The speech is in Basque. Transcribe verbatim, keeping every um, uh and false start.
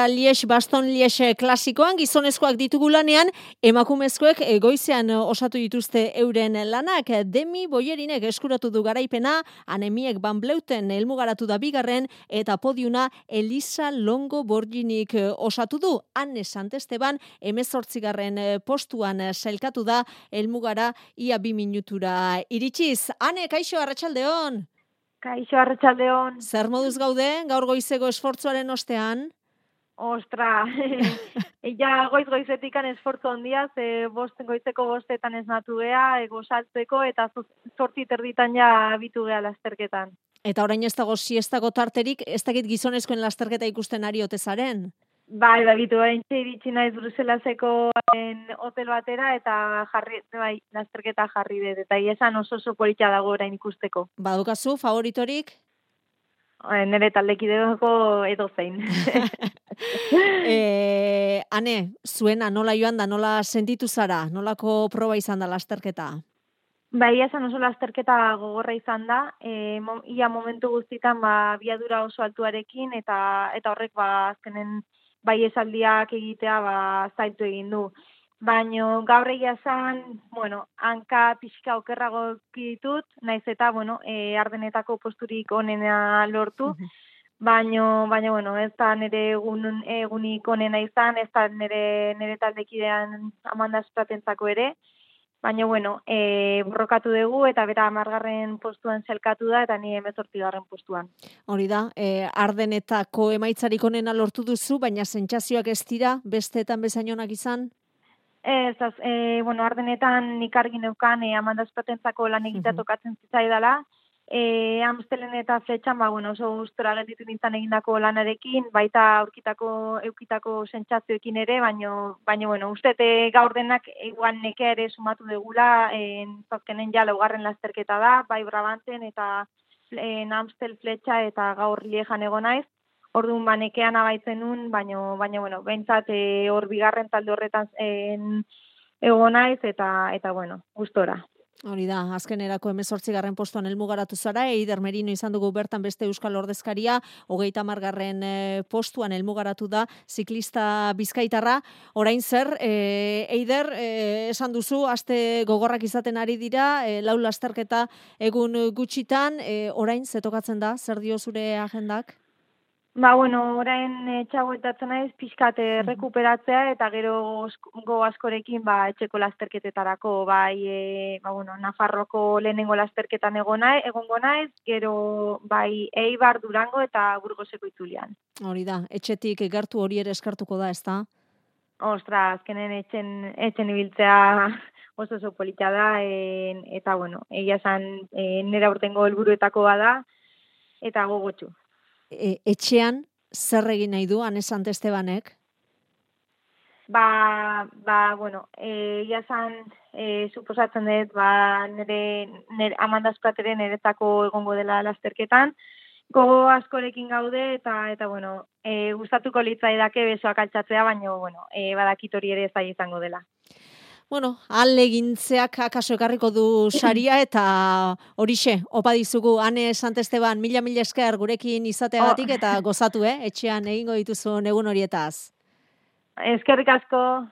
Lies, Baston Lies klasikoan gizonezkoak ditugu lanean, emakumezkoek goizean osatu dituzte euren lanak. Demi Boyerinek eskuratu du garaipena, Anemiek Van Bleuten helmugaratu da bigarren, eta podiuna Elisa Longo Borginik osatu du. Anne Santesteban hemezortzigarren postuan sailkatu da helmugara ia bi minutura iritsiz. Anne, kaixo, arratsaldeon. Kaixo, arratsaldeon. Zer moduz gaude gaur goizeko esfortzuaren ostean? Ostra, ja goiz-goizetikan esfortzu handia, ze bost, goizeko bostetan ez natu gea, ego saltzeko, eta zortzi terditan ja abitu gea lasterketan. Eta orain ez dago siestako tarterik, ez dakit gizonezkoen lasterketa ikusten ari ote zaren? Bai, bagitu, bain iritsi naiz Bruselaseko hotel batera, eta jarri, bai, lasterketa jarri dut, eta iesan oso oso politxa dago orain ikusteko. Badukazu, favoritorik? Nere taldekideko edo zein. e, Ane, zuena nola joan da, nola sentitu zara, nolako proba izan da lasterketa? Bai, esan oso lasterketa gogorra izan da, e, mo, ia momentu guztitan ba, biadura oso altuarekin, eta eta horrek ba, azkenen bai esaldiak egitea ba, zaitu egin du. Baina gaur egia esan, bueno, hanka pixka okerrago ditut, naiz eta, bueno, e, ardenetako posturik onena lortu, baina, baina, bueno, ez da nire egun, egunik onena izan, ez da nire, nire taldekidean Amanda Spratentzako ere, baina, bueno, e, borrokatu dugu eta bera hamargarren postuan zelkatu da eta ni hemezortzigarren postuan. Hori da, e, ardenetako emaitzarik onena lortu duzu, baina sentsazioak ez dira besteetan bezain onak izan? Ez, az, e, bueno, ardenetan nik argi neukan e, Amanda Spratentzako lan egitea tokatzen zitzaidala, e, Amstelen eta Fletxan, ba, bueno, oso gustora gelditu nintzen egindako lanarekin, baita aurkitako, eukitako sentsazioekin ere, baino, baino, bueno, uste gaur denak eguan nekea ere sumatu degula, e, zazkenen ja laugarren lasterketa da, bai Brabanten eta e, Amstel Fletxa eta gaur Liejan egon naiz. Orduan banekean abaitzen nun, baino, baino, bueno, behintzat e, hor bigarren talde horretan egon naiz, eta, eta bueno, gustora. Hori da, azkenerako hemezortzigarren postuan helmugaratu zara, Eider Merino izan dugu bertan beste euskal ordezkaria, hogeita hamargarren postuan helmugaratu da, ziklista bizkaitarra. Orain zer, e, Eider, e, esan duzu, aste gogorrak izaten ari dira, e, lau lasterketa egun gutxitan, e, orain zetokatzen da, zer dio zure agendak? Ba, bueno, orain etxagoetatzen naiz pixkat rekuperatzea eta gero go askorekin ba, etxeko lasterketetarako, bai, e, ba, bueno, Nafarroko lehenengo lasterketan egongo naiz, gero bai Eibar, Durango eta Burgoseko itzulian. Hori da, etxetik gertu hori ere eskartuko da, ezta? Ostra, azkenen etxen, etxen ibiltzea oso oso polita da, en, eta bueno, egia esan e, nera urtengo helburuetako da, eta gogotxu. E, etxean zer egin nahi du Anne Santestebanek? Ba, ba, bueno, e, ia zan, e, suposatzen dut, ba, nire, nire Amanda Sprateren niretako egongo dela lasterketan, gogo askorekin gaude, eta, eta bueno, e, gustatuko litzaidake besoak altxatzea, baina, bueno, e, badakit hori ere zai izango dela. Bueno, alegintzeak akaso ekarriko du saria eta horixe, opa dizugu Anne Santesteban mila mila esker gurekin izateagatik eta gozatu, eh? Etxean egingo dituzun egun horietaz. Eskerrik asko.